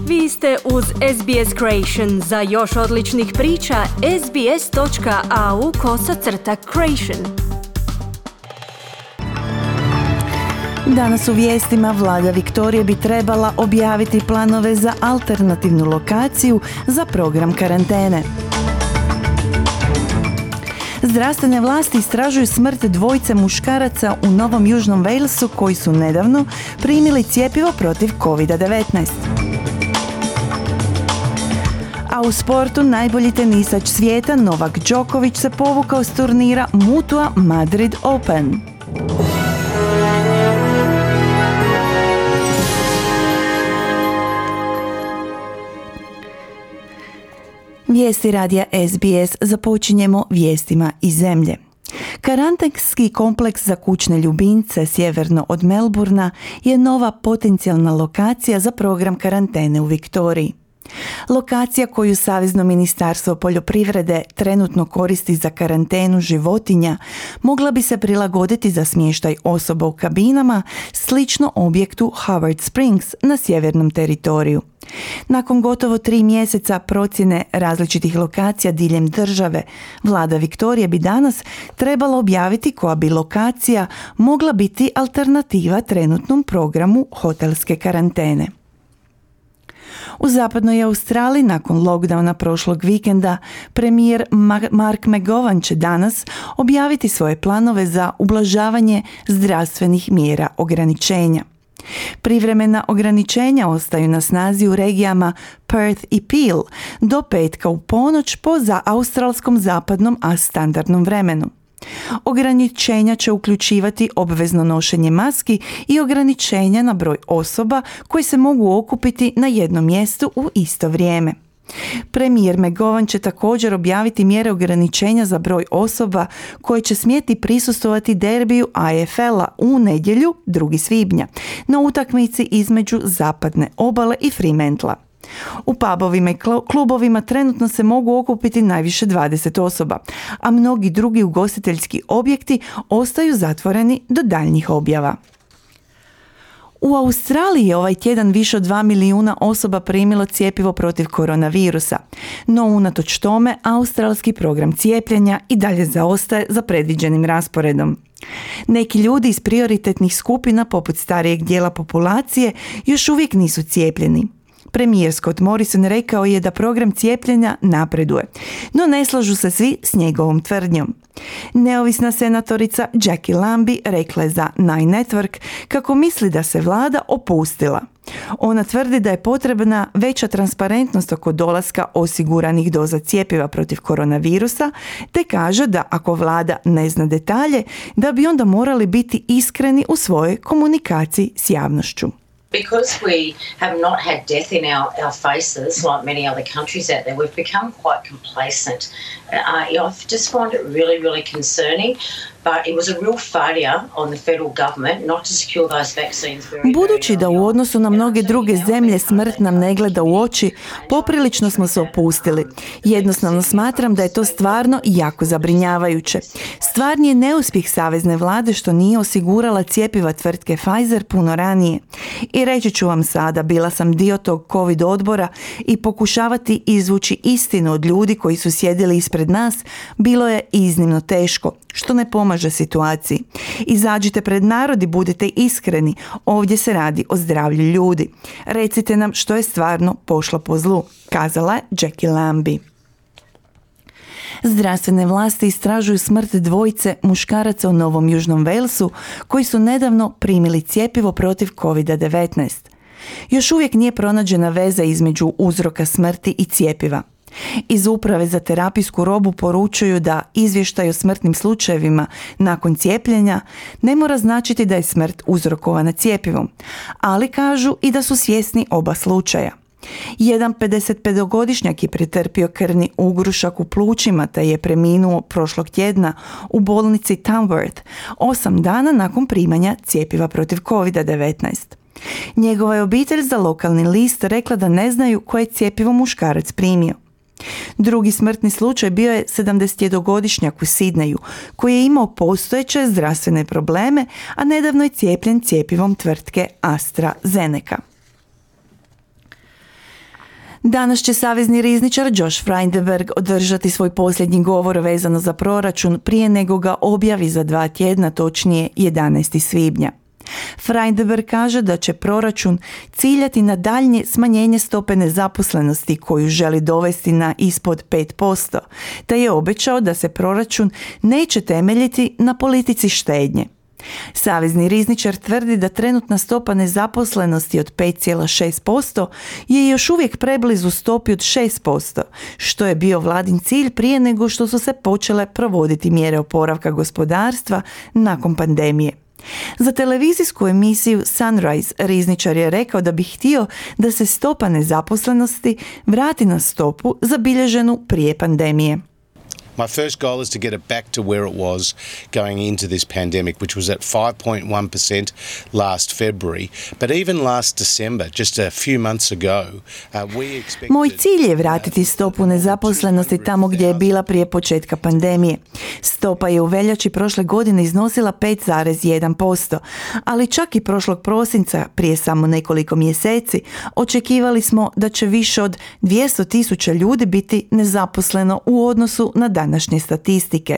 Vi ste uz SBS Creation. Za još odličnih priča, sbs.au/creation. Danas u vijestima vlada Viktorije bi trebala objaviti planove za alternativnu lokaciju za program karantene. Zdravstvene vlasti istražuju smrt dvojice muškaraca u Novom Južnom Walesu koji su nedavno primili cjepivo protiv COVID-19. A u sportu najbolji tenisač svijeta Novak Djokovic se povukao s turnira Mutua Madrid Open. Vijesti radija SBS započinjemo vijestima iz zemlje. Karantenski kompleks za kućne ljubimce sjeverno od Melbourna je nova potencijalna lokacija za program karantene u Viktoriji. Lokacija koju Savezno ministarstvo poljoprivrede trenutno koristi za karantenu životinja mogla bi se prilagoditi za smještaj osoba u kabinama slično objektu Howard Springs na sjevernom teritoriju. Nakon gotovo 3 mjeseca procjene različitih lokacija diljem države, vlada Viktorije bi danas trebala objaviti koja bi lokacija mogla biti alternativa trenutnom programu hotelske karantene. U zapadnoj Australiji nakon lockdowna prošlog vikenda premijer Mark McGowan će danas objaviti svoje planove za ublažavanje zdravstvenih mjera ograničenja. Privremena ograničenja ostaju na snazi u regijama Perth i Peel do petka u ponoć po australskom zapadnom a standardnom vremenu. Ograničenja će uključivati obvezno nošenje maski i ograničenja na broj osoba koji se mogu okupiti na jednom mjestu u isto vrijeme. Premijer McGowan će također objaviti mjere ograničenja za broj osoba koje će smjeti prisustvovati derbiju AFL-a u nedjelju 2. svibnja na utakmici između Zapadne obale i Fremantla. U pubovima i klubovima trenutno se mogu okupiti najviše 20 osoba, a mnogi drugi ugostiteljski objekti ostaju zatvoreni do daljnjih objava. U Australiji je ovaj tjedan više od 2 milijuna osoba primilo cjepivo protiv koronavirusa, no unatoč tome australski program cijepljenja i dalje zaostaje za predviđenim rasporedom. Neki ljudi iz prioritetnih skupina poput starijeg dijela populacije još uvijek nisu cijepljeni. Premijer Scott Morrison rekao je da program cijepljenja napreduje, no ne slažu se svi s njegovom tvrdnjom. Neovisna senatorica Jackie Lambie rekla je za Nine Network kako misli da se vlada opustila. Ona tvrdi da je potrebna veća transparentnost oko dolaska osiguranih doza cjepiva protiv koronavirusa, te kaže da ako vlada ne zna detalje, da bi onda morali biti iskreni u svojoj komunikaciji s javnošću. Because we have not had death in our faces like many other countries out there, we've become quite complacent. I just find it really, really concerning. But it was a real failure on the federal government not to secure those vaccines very Budući da u odnosu na mnoge druge zemlje smrt nam ne gleda u oči, poprilično smo se opustili. Jednostavno smatram da je to stvarno jako zabrinjavajuće. Stvarni je neuspjeh savezne vlade što nije osigurala cjepiva tvrtke Pfizer puno ranije. I reći ću vam sada, bila sam dio tog COVID odbora i pokušavati izvući istinu od ljudi koji su sjedili ispred nas bilo je iznimno teško, što ne pomaže situaciji. Izađite pred narod i budite iskreni, ovdje se radi o zdravlju ljudi. Recite nam što je stvarno pošlo po zlu, kazala je Jackie Lambie. Zdravstvene vlasti istražuju smrt dvojice muškaraca u Novom Južnom Walesu koji su nedavno primili cjepivo protiv COVID-19. Još uvijek nije pronađena veza između uzroka smrti i cjepiva. Iz Uprave za terapijsku robu poručuju da izvještaj o smrtnim slučajevima nakon cijepljenja ne mora značiti da je smrt uzrokovana cjepivom, ali kažu i da su svjesni oba slučaja. Jedan 55-godišnjak je pretrpio krvni ugrušak u plućima te je preminuo prošlog tjedna u bolnici Tamworth 8 dana nakon primanja cjepiva protiv COVID-19. Njegova je obitelj za lokalni list rekla da ne znaju koje je cjepivo muškarac primio. Drugi smrtni slučaj bio je 71-godišnjak u Sidneju koji je imao postojeće zdravstvene probleme, a nedavno je cijepljen cjepivom tvrtke AstraZeneca. Danas će savezni rizničar Josh Frydenberg održati svoj posljednji govor vezano za proračun prije nego ga objavi za 2 tjedna, točnije 11. svibnja. Frydenberg kaže da će proračun ciljati na daljnje smanjenje stope nezaposlenosti koju želi dovesti na ispod 5%, te je obećao da se proračun neće temeljiti na politici štednje. Savezni rizničar tvrdi da trenutna stopa nezaposlenosti od 5,6% je još uvijek preblizu stopi od 6%, što je bio vladin cilj prije nego što su se počele provoditi mjere oporavka gospodarstva nakon pandemije. Za televizijsku emisiju Sunrise rizničar je rekao da bi htio da se stopa nezaposlenosti vrati na stopu zabilježenu prije pandemije. My first goal is to get it back to where it was going into this pandemic, which was at 5.1% last February. But even last December, just a few months ago, we expected... Moj cilj je vratiti stopu nezaposlenosti tamo gdje je bila prije početka pandemije. Stopa je u veljači prošle godine iznosila 5,1%, ali čak i prošlog prosinca, prije samo nekoliko mjeseci, očekivali smo da će više od 200,000 ljudi biti nezaposleno u odnosu na današnje statistike.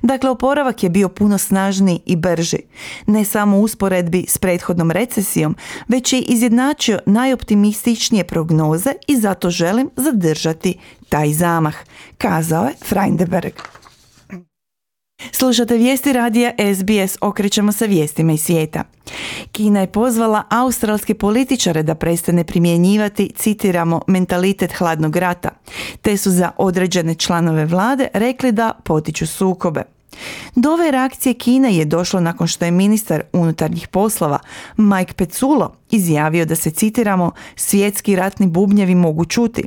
Dakle, oporavak je bio puno snažniji i brži. Ne samo u usporedbi s prethodnom recesijom, već i izjednačio najoptimističnije prognoze i zato želim zadržati taj zamah, kazao je Frydenberg. Slušate vijesti radija SBS, okrećemo se vijestima iz svijeta. Kina je pozvala australske političare da prestane primjenjivati, citiramo, mentalitet hladnog rata, te su za određene članove vlade rekli da potiču sukobe. Do ove reakcije Kine je došlo nakon što je ministar unutarnjih poslova Mike Pezzullo izjavio da se, citiramo, svjetski ratni bubnjevi mogu čuti,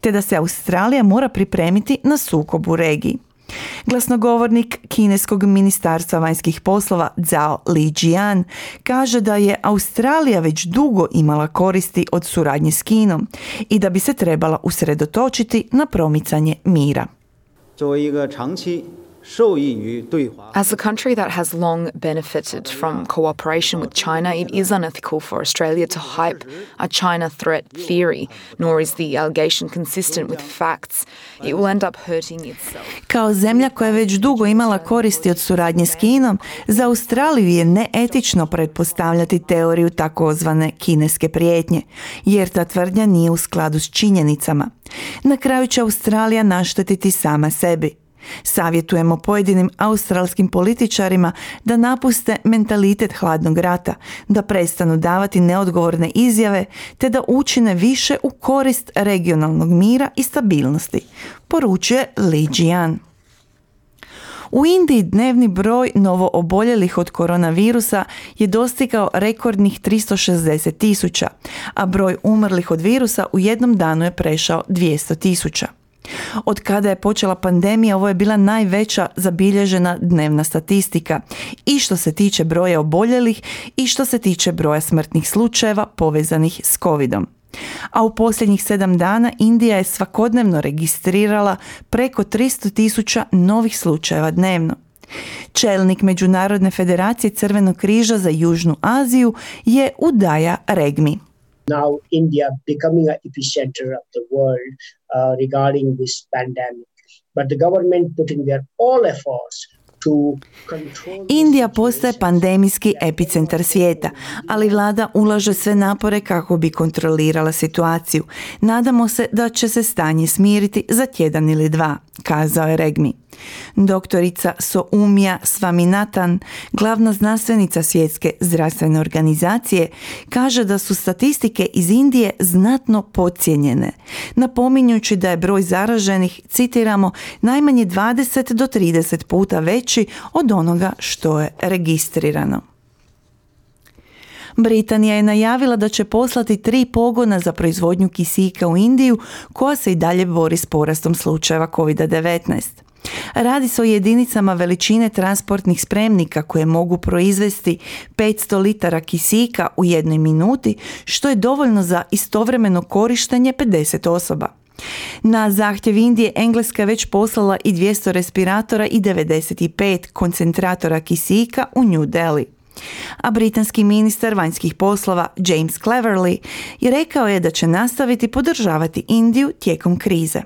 te da se Australija mora pripremiti na sukob u regiji. Glasnogovornik kineskog ministarstva vanjskih poslova Zhao Lijian kaže da je Australija već dugo imala koristi od suradnje s Kinom i da bi se trebala usredotočiti na promicanje mira. As a country that has long benefited from cooperation with China, it is unethical for Australia to hype a China threat theory, nor is the allegation consistent with facts. It will end up hurting itself. Kao zemlja koja je već dugo imala koristi od suradnje s Kinom, za Australiju je neetično pretpostavljati teoriju takozvane kineske prijetnje, jer ta tvrdnja nije u skladu s činjenicama. Na kraju će Australija naštetiti sama sebi. Savjetujemo pojedinim australskim političarima da napuste mentalitet hladnog rata, da prestanu davati neodgovorne izjave, te da učine više u korist regionalnog mira i stabilnosti, poručuje Li Jian. U Indiji dnevni broj novooboljelih od koronavirusa je dostigao rekordnih 360,000, a broj umrlih od virusa u jednom danu je prešao 200,000. Od kada je počela pandemija, ovo je bila najveća zabilježena dnevna statistika i što se tiče broja oboljelih i što se tiče broja smrtnih slučajeva povezanih s covidom. A u posljednjih 7 dana Indija je svakodnevno registrirala preko 300,000 novih slučajeva dnevno. Čelnik Međunarodne federacije Crvenog križa za Južnu Aziju je Udaya Regmi. Now India becoming an epicenter of the world regarding this pandemic, but the government putting their all efforts to control. Indija postaje pandemijski epicentar svijeta, ali vlada ulaže sve napore kako bi kontrolirala situaciju. Nadamo se da će se stanje smiriti za tjedan ili 2, kazao je Regmi. Doktorica Soumya Swaminathan, glavna znanstvenica Svjetske zdravstvene organizacije, kaže da su statistike iz Indije znatno podcijenjene, napominjući da je broj zaraženih, citiramo, najmanje 20 do 30 puta veći od onoga što je registrirano. Britanija je najavila da će poslati 3 pogona za proizvodnju kisika u Indiju, koja se i dalje bori s porastom slučajeva COVID-19. Radi se o jedinicama veličine transportnih spremnika koje mogu proizvesti 500 litara kisika u 1 minuti, što je dovoljno za istovremeno korištenje 50 osoba. Na zahtjev Indije Engleska je već poslala i 200 respiratora i 95 koncentratora kisika u New Delhi. A britanski ministar vanjskih poslova James Cleverly je rekao je da će nastaviti podržavati Indiju tijekom krize.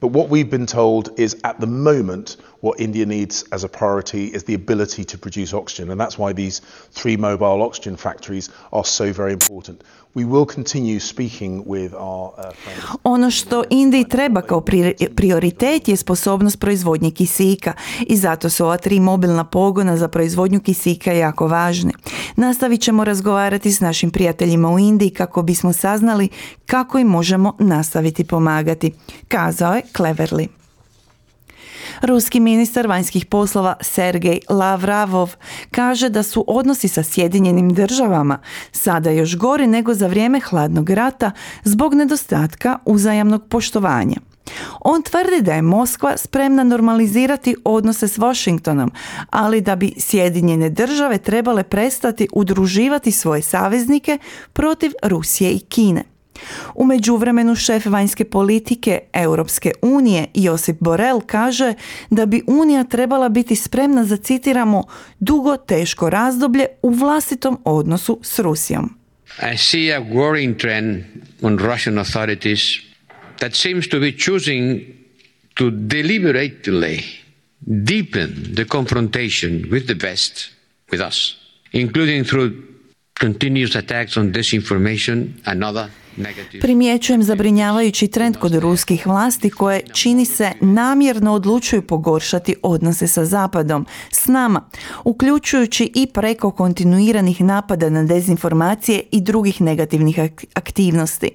But what we've been told is at the moment what India needs as a priority is the ability to produce oxygen, and that's why these 3 mobile oxygen factories are so very important. We will continue speaking with our friends. Ono što Indiji treba kao prioritet je sposobnost proizvodnje kisika i zato su ova 3 mobilna pogona za proizvodnju kisika jako važni. Nastavit ćemo razgovarati s našim prijateljima u Indiji kako bismo saznali kako im možemo nastaviti pomagati, kazao je Cleverly. Ruski ministar vanjskih poslova Sergej Lavravov kaže da su odnosi sa Sjedinjenim državama sada još gori nego za vrijeme hladnog rata zbog nedostatka uzajamnog poštovanja. On tvrdi da je Moskva spremna normalizirati odnose s Washingtonom, ali da bi Sjedinjene države trebale prestati udruživati svoje saveznike protiv Rusije i Kine. U međuvremenu šef vanjske politike Europske unije Josip Borrell kaže da bi Unija trebala biti spremna za, citiramo, dugo teško razdoblje u vlastitom odnosu s Rusijom. I see a worrying trend on Russian authorities that seems to be choosing to deliberately deepen the confrontation with the West, with us, including through continuous attacks on disinformation and other. Primjećujem zabrinjavajući trend kod ruskih vlasti koje, čini se, namjerno odlučuju pogoršati odnose sa Zapadom, s nama, uključujući i preko kontinuiranih napada na dezinformacije i drugih negativnih aktivnosti.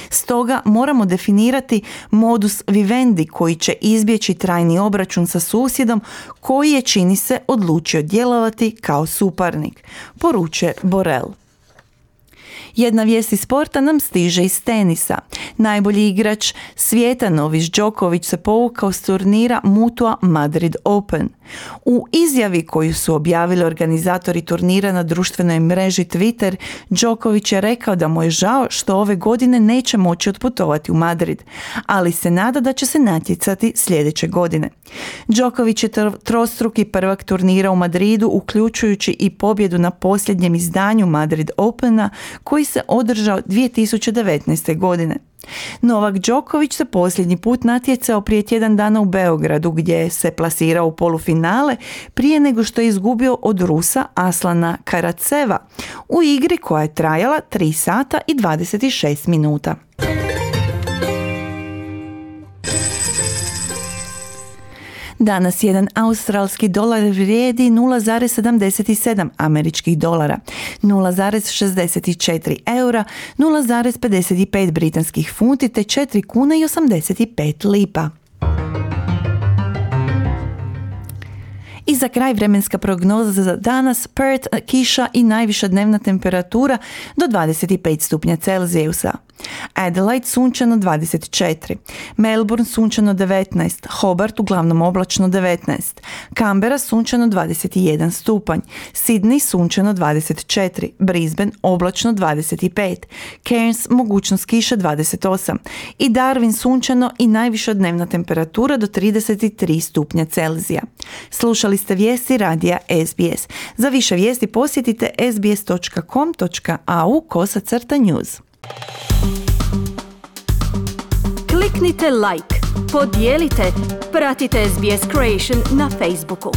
Stoga moramo definirati modus vivendi koji će izbjeći trajni obračun sa susjedom koji je, čini se, odlučio djelovati kao suparnik, poručuje Borrell. Jedna vijest iz sporta nam stiže iz tenisa. Najbolji igrač svijeta Novak Djokovic se povukao s turnira Mutua Madrid Open. U izjavi koju su objavili organizatori turnira na društvenoj mreži Twitter, Djokovic je rekao da mu je žao što ove godine neće moći otputovati u Madrid, ali se nada da će se natjecati sljedeće godine. Djokovic je trostruki prvak turnira u Madridu, uključujući i pobjedu na posljednjem izdanju Madrid Opena koji se održao 2019. godine. Novak Djokovic se posljednji put natjecao prije tjedan dana u Beogradu gdje se plasirao u polufinale prije nego što je izgubio od Rusa Aslana Karaceva u igri koja je trajala 3 sata i 26 minuta. Danas jedan australski dolar vrijedi 0,77 američkih dolara, 0,64 eura, 0,55 britanskih funti te 4 kune i 85 lipa. I za kraj vremenska prognoza za danas: Perth kiša i najviša dnevna temperatura do 25 stupnja Celzijusa. Adelaide sunčano 24, Melbourne sunčano 19, Hobart uglavnom oblačno 19, Canberra sunčano 21 stupanj, Sydney sunčano 24, Brisbane oblačno 25, Cairns mogućnost kiše 28 i Darwin sunčano i najviša dnevna temperatura do 33 stupnja Celzija. Slušali ste vijesti radija SBS. Za više vijesti posjetite sbs.com.au/news. Kliknite like, podijelite, pratite SBS Creation na Facebooku.